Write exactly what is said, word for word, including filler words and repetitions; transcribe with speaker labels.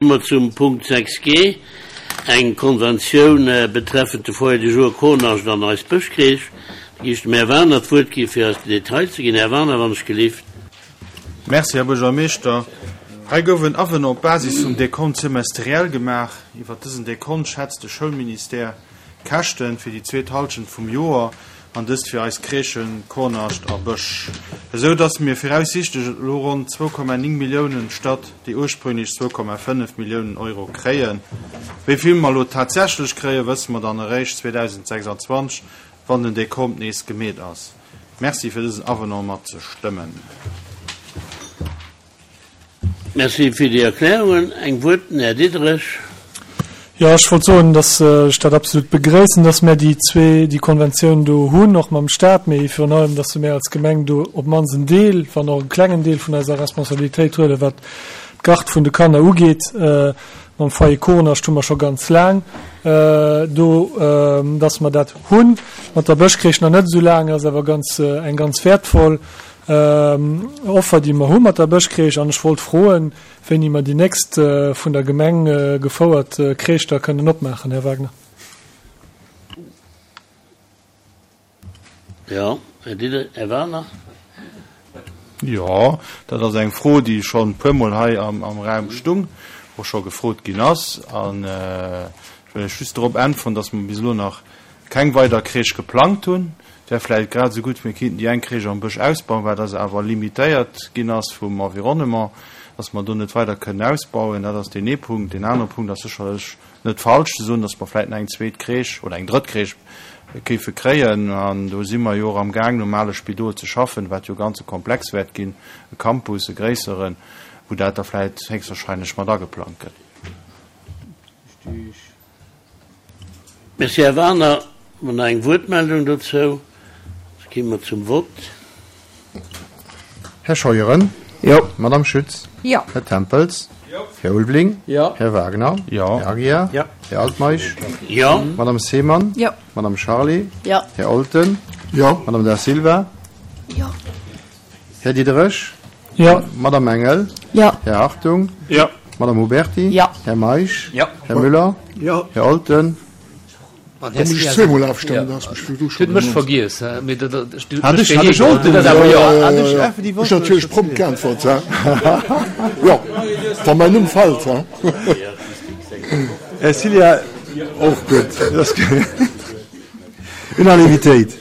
Speaker 1: Mer zum Punkt sechs G, eng Konventioun betreffend de Foyer de jour Kornascht an eis Bëschcrèche. Da gi ech dem Här Wagener d'Wuert gi fir eis den Detail ze ginn. Här Wagener, wann ech gelift.
Speaker 2: Merci, Här Buergermeeschter. Hei gouf en Avenant op Basis vum Décompte semestriel gemaach. Iwwer dësen Décompte schätzt de Schoulministère d'Käschte fir déi zweet Hallschent vum Joer, an dëst fir eis Crèchen Kornascht a Bësch, esou dass mir viraussichtlech elo ronn zwou Komma néng Milliounen statt déi ursprünglech zwou Komma fënnef Milliounen Euro kréien. Wéi vill mer elo tatsächlech kréien, wësse mer dann eréischt zweedausendsechsandzwanzeg, wann den Dekont nees gemeet ass. Merci fir dësen Avenant mat ze stëmmen.
Speaker 1: Merci fir déi Erklärungen. Eng Wuert, den Här Diderich.
Speaker 3: Jo, ech wollt soen, dass ech dat absolut begréissen, dass mär déi zwee, déi Konventioun do hunn, och mam Stat, mee virun allem, dass mär als Gemeng do op d'mannst en Deel, wann och e klengen Deel vun eiser Responsabilitéit huelen, wat d'Garde vun de Kanner ugeet. Mam Foyer Kournascht hu mer scho ganz laang do, dass mer dat hunn. Mat der Bëschcrèche nach net esou laang, ass awer ganz, eng ganz wäertvoll Offer, déi mer hu mat der Bëschcrèche. An ech wollt froen, wéini mer déi nächst vun der Gemeng gefouert Crèche da kënnen opmaachen, Här Wagner.
Speaker 1: Jo, Här Diderich. Här Wagner.
Speaker 2: Jo, dat ass eng Fro, déi schonn e puermol hei am Raum stung, och scho gefrot ginn ass. An ech wëll lech just dorop äntweren, dass mer bis elo nach keng weider Crèche geplangt hunn. Et wär vläicht grad esou gutt, mir kéinten déi eng Crèche am Bësch ausbauen, wat ass awer limitéiert ginn ass vum Environnement, dass mer do net weider kënnen ausbauen. Dat ass deen ee Punkt. Deen anere Punkt ass sécherlech net falsch ze soen, dass mer vläicht nach eng zweet Crèche oder eng drëtt Crèche géife kréien. An do si mer jo och amgaang, nom ale Spidol ze schaffen, wat jo ganz e Komplex wäert ginn, e Campus, e gréisseren, wou dat da vläicht héchstwahrscheinlech mat ageplangt gëtt.
Speaker 1: Merci, Här Wagener. Hu mer nach eng Wuertmeldung dozou? Da gi mer zum Vott.
Speaker 4: Här Scheuren?
Speaker 5: Jo.
Speaker 4: Madame Schütz?
Speaker 6: Jo.
Speaker 4: Här Tempels?
Speaker 2: Jo.
Speaker 4: Här Ulveling?
Speaker 5: Jo.
Speaker 4: Här Wagner?
Speaker 2: Jo.
Speaker 4: Här Aguiar?
Speaker 5: Jo.
Speaker 4: Här Altmeisch?
Speaker 1: Jo.
Speaker 4: Madame Seemann?
Speaker 6: Jo.
Speaker 4: Madame Charlé?
Speaker 6: Jo.
Speaker 4: Här Olten?
Speaker 7: Jo.
Speaker 4: Madame Da Silva?
Speaker 6: Jo.
Speaker 4: Här Diderich?
Speaker 3: Jo.
Speaker 4: Madame Engel?
Speaker 6: Jo.
Speaker 4: Här Hartung?
Speaker 2: Jo.
Speaker 4: Madame Huberti?
Speaker 6: Jo.
Speaker 4: Här Meisch?
Speaker 5: Jo.
Speaker 4: Här Müller?
Speaker 7: Jo.
Speaker 4: Här Olten?
Speaker 7: Da muss ech zweemol afstëmmen, da ass mech virdu
Speaker 8: schonn. Huet mech vergiess, mee dat
Speaker 4: Hat ech, hat ech Olten
Speaker 8: dat awer jo.
Speaker 4: Hat ech effektiv
Speaker 7: Ech natierlech prompt geäntwert, hä? Jo, wa mäin Numm fält, hä?
Speaker 4: Här Cilla.
Speaker 7: Och gutt.
Speaker 4: Unanimitéit.